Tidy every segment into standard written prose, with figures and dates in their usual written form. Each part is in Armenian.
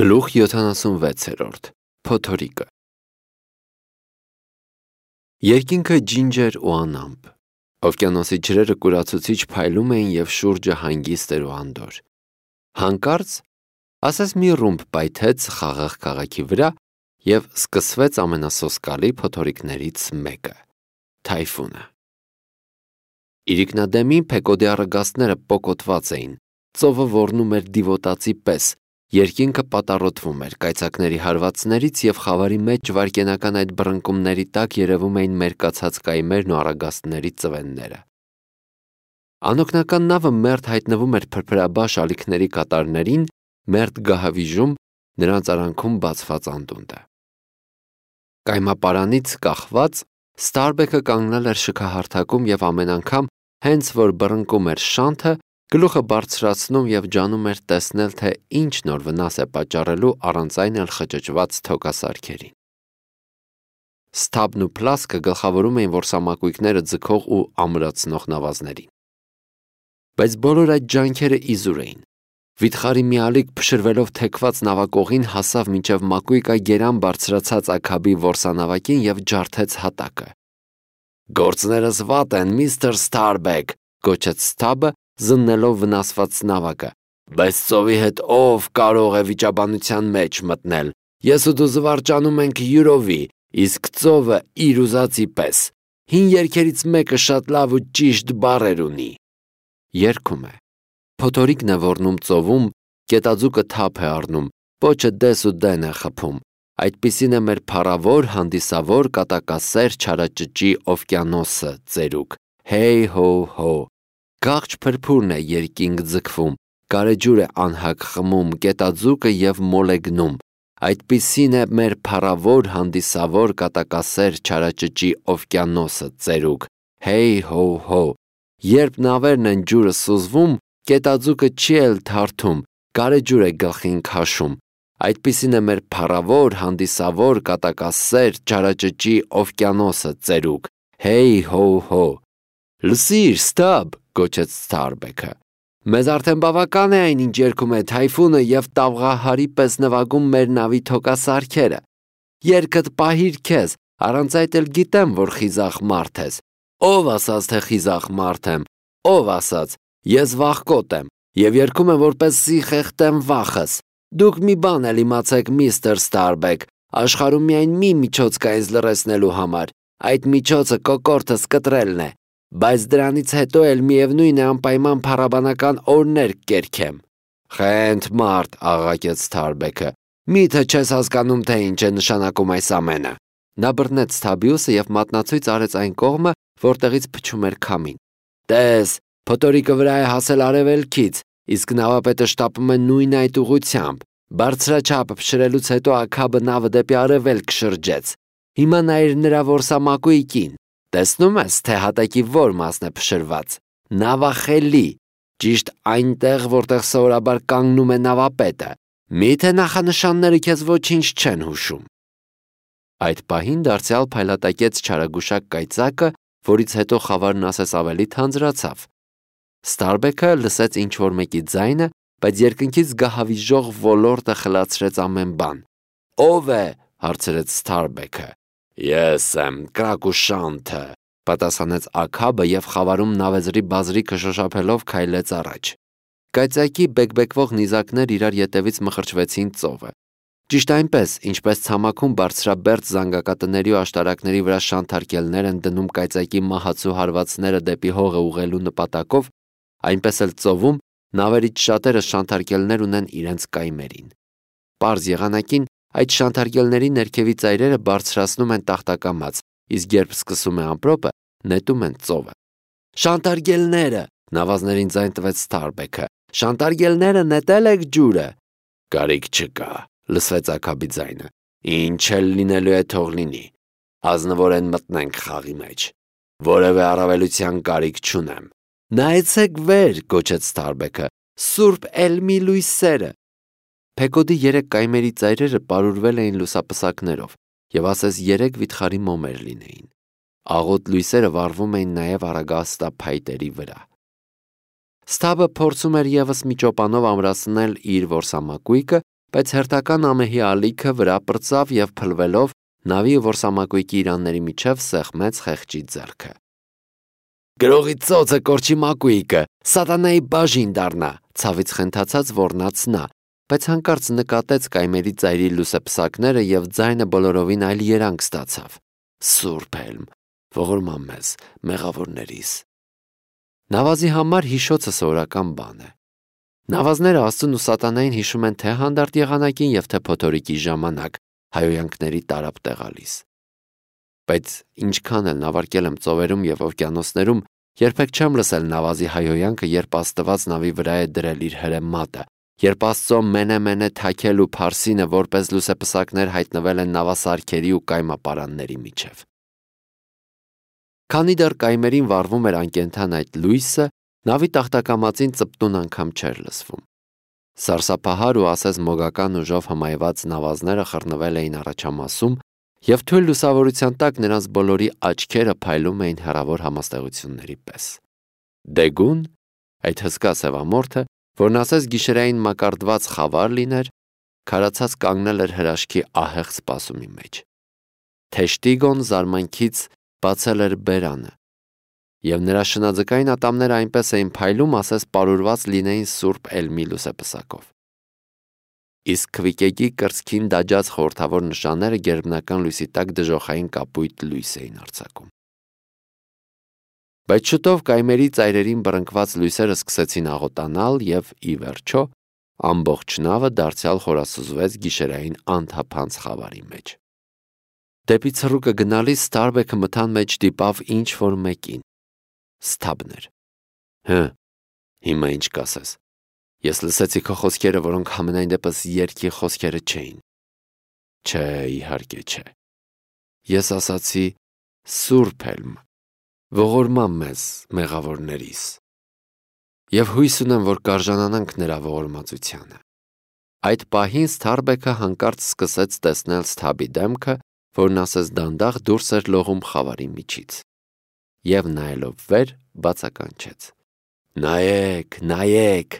Գլուխ 76 Փոթորիկը Երկինքը ջինջեր ու անամպ, օվկիանոսի ջրերը կուրացուցիչ փայլում էին և շուրջը հանգիստ էր ու անդորր։ Հանկարծ, ասես մի ռումբ պայթեց խաղաղ քաղաքի վրա և սկսվեց ամենասոսկալի փոթորիկներից մեկը՝ թայֆունը։ Իրիկնադեմի Փեկոդի առագաստները պոկոտված էին, ծովը ոռնում էր դիվոտածի պես, երկինքը պատառոտվում էր կայծակների հարվածներից և խավարի մեջ վայրկենական այդ բռնկումների տակ երևում էին մերկացած կայմերն ու առագաստների ծվենները։ Անօգնական նավը մերթ հայտնվում էր փրփրաբաշ ալիքների կատարներին, մերթ գահավիժում նրանց արանքում բացված անդունդը։ Կայմապարանից կախված Ստարբեքը կանգնել էր շքահարթակում և ամեն անգամ, հենց որ բռնկում էր շանթը, գլուխը բարձրացնում և ջանում էր տեսնել, թե ինչ նոր վնաս է պատճառելու առանց այն էլ խճճված թոքասարքերին։ Սթաբն ու Փլասկը գլխավորում էին որսամակույկները ձգող ու ամրացնող նավազներին։ Բայց բոլոր այդ ջանքերը իզուր էին։ Վիթխարի մի ալիք փշրվելով թեքված նավակողին հասավ մինչև մակույկագերան բարձրացած աքաբի որսանավակին և ջարդեց հատակը։ «Գործներս վատ են, միստր Ստարբեք», գոչեց Սթաբը, զննելով վնասված նավակը, «բայց ծովի հետ ով կարող է վիճաբանության մեջ մտնել։ Ես ու դու զվարճանում ենք յուրովի, իսկ ծովը իր ուզածի պես։ Հին երգերից մեկը շատ լավ ու ճիշտ բառեր ունի»։ Երգում է. Փոթորիկն է ոռնում ծովում, կետաձուկը թափ է առնում, պոչը դես ու դեն է խփում։ Այդպիսին է մեր փառավոր, հանդիսավոր, կատակասեր, չարաճճի օվկիանոսը ծերուկ։ Հեյ հո հո։ Գաղջ փրփուրն է երկինք ձգվում, գարեջուր է անհագ խմում, կետաձուկը և մոլեգնում։ Այդպիսին է մեր փառավոր, հանդիսավոր, կատակասեր, չարաճճի օվկիանոսը ծերուկ։ Հեյ հո հո։ Երբ նավերն են ջուրը սուզվում, կետաձուկը չի էլ թարթում, գարեջուր է գլխին քաշում։ Այդպիսին է մեր փառավոր, հանդիսավոր, կատակասեր, չարաճճի օվկիանոսը ծերուկ։ Հեյ հո հո։ Լսիր, Ստաբ, գոչեց Ստարբեքը։ Մեզ արդեն բավական է այն, ինչ երգում է թայֆունը և տավղահարի պես նվագում մեր նավի թոքասարքերը։ Երգդ պահիր քեզ, առանց այդ էլ գիտեմ, որ խիզախ մարդ ես։ Ով ասաց, թե խիզախ մարդ եմ, ով ասաց, ես վախկոտ եմ և երգում եմ, որպեսզի խեղդեմ վախս։ Դուք մի բան էլ իմացեք, միստր Ստարբեք, աշխարհում միայն մի միջոց կա ինձ լռեցնելու համար, այդ միջոցը կոկորդս կտրելն է, բայց դրանից հետո էլ միևնույն է անպայման փառաբանական օրհներ կերքեմ։ Խենթ մարդ, աղաղակեց Ստարբեքը, միթե չես հասկանում, թե ինչ է նշանակում այս ամենը։ Նա բռնեց Սթաբիուսը և մատնացույց արեց այն կողմը, որտեղից փչում էր քամին։ Տես, փոթորիկը վրա է հասել արևելքից, իսկ նավապետը շտապում է նույն այդ ուղղությամբ։ Բարձրաչափ փշրելուց հետո աքաբը նավը դեպի արևելք շրջեց։ Հիմա նայիր նրա որսամակույկին։ Տեսնում ես, թե հատակի որ մասն է փշրված։ Նավախելի, ճիշտ այնտեղ, որտեղ սովորաբար կանգնում է նավապետը։ Միթե նախանշանները քեզ ոչինչ չեն հուշում։ Այդ պահին դարձյալ փայլատակեց չարագուշակ կայծակը, որից հետո խավարն ասես ավելի թանձրացավ։ Ստարբեքը լսեց ինչ-որ մեկի ձայնը, բայց երկնքից գահավիժող ոլորտը խլացրեց ամեն բան։ Ո՞վ է, հարցրեց Ստարբեքը։ Ես եմ, Կրակուշանթը, պատասխանեց աքաբը և խավարում նավեզրի բազրիքը շոշափելով քայլեց առաջ։ Կայծակի բեկբեկվող նիզակներ իրար ետևից մխրճվեցին ծովը։ Ճիշտ այնպես, ինչպես ցամաքում բարձրաբերդ զանգակատների ու աշտարակների վրա շանթարկելներ են դնում կայծակի մահացու հարվածները դեպի հողը ուղղելու նպատակով, այնպես էլ ծովում նավերից շատերը շանթարկելներ ունեն իրենց կայմերին։ Պարզ եղանակին այդ շանթարկելների ներքևի ծայրերը բարձրացնում են տախտակամած, իսկ երբ սկսում է ամպրոպը, նետում են ծովը։ Շանթարկելները, նավազներին ձայն տվեց Ստարբեքը, շանթարկելները նետել եք ջուրը։ Կարիք չկա, լսվեց աքաբի ձայնը։ Ինչ էլ լինելու է թող լինի։ Ազնվորեն մտնենք խաղի մեջ։ Որևէ առավելության կարիք չունեմ։ Նայեցեք վեր, գոչեց Ստարբեքը, Սուրբ Էլմի լույսերը։ Փեկոդի 3 կայմերի ծայրերը պարուրվել էին լուսապսակներով և ասես 3 վիթխարի մոմեր լինեին։ Աղոտ լույսերը վառվում էին նաև առագաստափայտերի վրա։ Սթաբը փորձում էր ևս մի ճոպանով ամրացնել իր որսամակույկը բայց հերթական ամեհի ալիքը վրա պրծավ և փլվելով նավի ու որսամակույկի իրանների միջև սեղմեց խեղճի ձեռքը։ «Գրողի ծոցը կորչի մակույկը, սատանայի բաժին դառնա», ցավից խենթացած ոռնաց նա, բայց հանկարծ նկատեց կայմերի ծայրի լուսեպսակները և ձայնը բոլորովին այլ երանգ ստացավ։ «Սուրբ Հելմ, ողորմա մեզ, մեղավորներիս»։ Նավազի համար հիշոցը սովորական բան է։ Նավազները Աստծուն ու սատանային հիշում են թե հանդարտ եղանակին և թե փոթորիկի ժամանակ, հայհոյանքների տարապ տեղալիս։ Բայց ինչքան էլ նավարկել եմ ծովերում և օվկիանոսներում, երբեք չեմ լսել նավազի հայհոյանքը, երբ Աստված նավի վրա է դրել իր հրեմատը, երբ Աստծո մենե թաքել ու փարսինը որպես լուսեպսակներ հայտնվել են նավասարքերի ու կայմապարանների միջև։ Քանի դեռ կայմերին վառվում էր անկենդան այդ լույսը, նավի տախտակամածին ծպտուն անգամ չէր լսվում։ Սարսափահար ու ասես մոգական ուժով հմայված նավազները խռնվել էին առաջամասում, և թույլ լուսավորության տակ նրանց բոլորի աչքերը փայլում էին հեռավոր համաստեղությունների պես։ Դեգուն, այդ հսկա սևամորթը, որն ասես գիշերային մակարդված խավար լիներ, քարացած կանգնել էր հրաշքի ահեղ սպասումի մեջ։ Թեշտիգոն զարմանքից բացել էր բերանը, և նրա շնաձկային ատամները այնպես էին փայլում, ասես պարուրված լինեին Սուրբ Էլմի լուսեպսակով։ Իսկ քվիկեկի կրծքին դաջած խորհրդավոր նշանները գերբնական լույսի տակ դժոխային կապույտ լույս էին արձակում։ Բայց շուտով կայմերի ծայրերին բռնկված լույսերը սկսեցին աղոտանալ և, ի վերջո, ամբողջ նավը դարձյալ խորասուզվեց գիշերային անթափանց խավարի մեջ։ Դեպի ցռուկը գնալիս Սթարբեքը մթան մեջ դիպավ ինչ-որ մեկին։ Սթաբն էր։ Հիմա ինչ կասես։ Ես լսեցի քո խոսքերը, որոնք համենայն դեպս երգի խոսքերը չէին։ Չէ, իհարկե չէ։ Ես ասացի Սուրբ Հելմ, ողորմա մեզ, մեղավորներիս։ Եվ հույս ունեմ, որ կարժանանանք նրա ողորմածությանը։ Այդ պահին Սթարբեքը հանկարծ սկսեց տեսնել Սթաբի դեմքը, որն ասես դանդաղ դուրս էր լողում խավարի միջից։ Եվ նայելով վեր, բացականչեց. Նայեք, նայեք։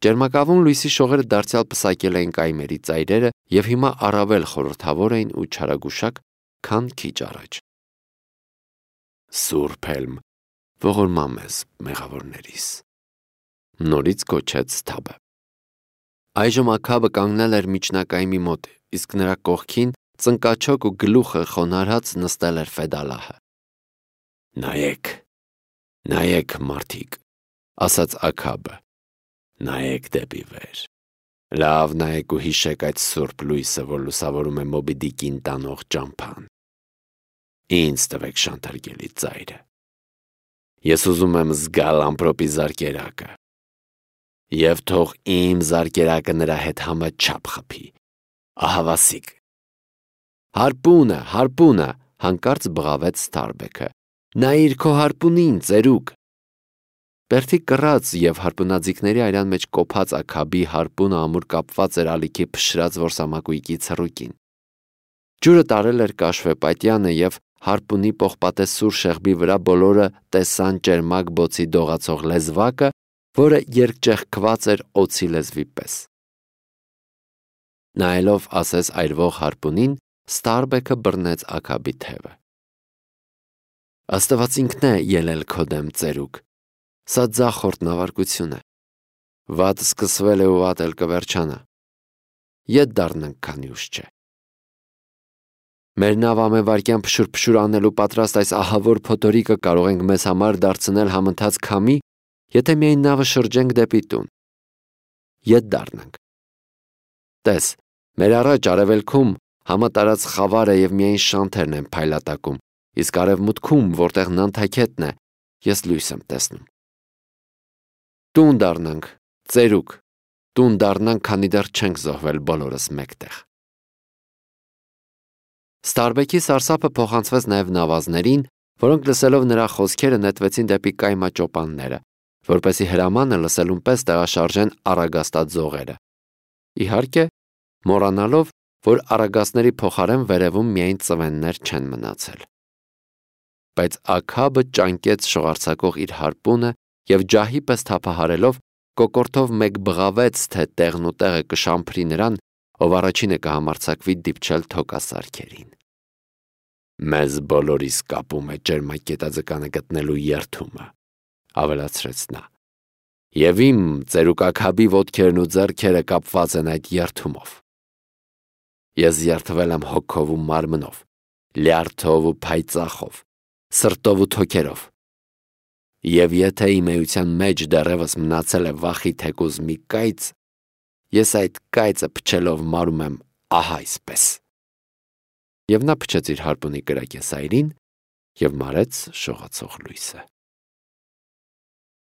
Ջերմակավուն լույսի շողերը դարձյալ պսակել էին կայմերի ծայրերը և հիմա առավել խորհրդավոր էին ու չարագուշակ, քան քիչ առաջ։ Սուրբ Հելմ, ողորմա մեզ, մեղավորներիս, նորից գոչեց Սթաբը։ Այժմ Աքաբը կանգնել էր միջնակայմի մոտ, իսկ նրա կողքին ծնկաչոք ու գլուխը խոնարհած նստել էր Ֆեդալահը։ Նայեք, նայեք, մարդիկ, ասաց Աքաբը, նայեք դեպի վեր։ Լավ նայեք ու հիշեք այդ սուրբ լույսը, որ լուսավորում է Մոբի Դիկին տանող ճամփան։ Ինձ տվեք շանթարգելի ծայրը։ Ես ուզում եմ զգալ ամպրոպի զարկերակը։ Եվ թող իմ զարկերակը նրա հետ համաչափ խփի։ Ահավասիկ։ Հարպունը, հանկարծ բղավեց Սթարբեքը։ Նայիր քո հարպունին, ծերուկ։ Բերդի կռած և հարպունաձիգների այրան մեջ կոփած Աքաբի հարպունը ամուր կապված էր ալիքի փշրած որսամակույկի ցռուկին։ Ջուրը տարել էր կաշվեպատյանը և հարպունի պողպատեսուր շեղբի վրա բոլորը տեսան ճերմակ բոցի դողացող լեզվակը, որը երկճեղքված էր օձի լեզվի պես։ Նայելով ասես այրվող հարպունին, Ստարբեքը բռնեց Աքաբի թևը։ Աստված ինքն է ելել քո դեմ, ծերուկ։ Սա ձախորդ նավարկություն է։ Վատ սկսվել է ու վատ էլ կվերջանա։ Ետ դառնանք, քանի ուշ չէ։ Մեր նավ ամենվարկյան փշուր անելու պատրաստ այս ահավոր փոթորիկը կարող ենք մեզ համար դարձնել համընթաց քամի, եթե միայն նավը շրջենք դեպի տուն։ Ետ դառնանք։ Տես, մեր առաջ արևելքում համատարած խավարը և միայն շանթերն են փայլատակում, իսկ արևմուտքում, որտեղ նանթաքետն է, ես լույս եմ տեսնում։ Տուն դառնանք, ծերուկ, տուն դառնանք, քանի դեռ չենք զոհվել բոլորս մեկտեղ։ Ստարբեքի սարսափը փոխանցվեց նաև նավազներին, որոնք լսելով նրա խոսքերը նետվեցին դեպի կայմաճոպանները, որպեսզի հրամանը լսելուն պես տեղաշարժեն առագաստած զողերը։ Իհարկե, մոռանալով, որ առագաստների փոխարեն վերևում միայն ծվեններ չեն մնացել։ Բայց Աքաբը ճանկեց շողարցակող իր հարպունը և ջահի պես թափահարելով կոկորտով մեկ բղավեց, թե տեղն ու տեղը կշամփրի նրան, ով առաջինը կհամարձակվի դիպչել թոկասարքերին։ «Մեզ բոլորիս կապում է ջերմակետաձկանը գտնելու երդումը», ավելացրեց նա, «և իմ ծերուկաքաբի ոտքերն ու ձեռքերը կապված են այդ երդումով։ Ես երդվել եմ հոգով ու մարմնով, լյարդով ու փայծախով, սրտով ու թոքերով, և եթե իմ էության մեջ դեռևս մնացել է վախի թեկուզ մի կայծ, ես այդ կայծը փչելով մարում եմ ահա այսպես»։ Եվ նա փչեց իր հարպունի կրակեսայրին և մարեց շողացող լույսը։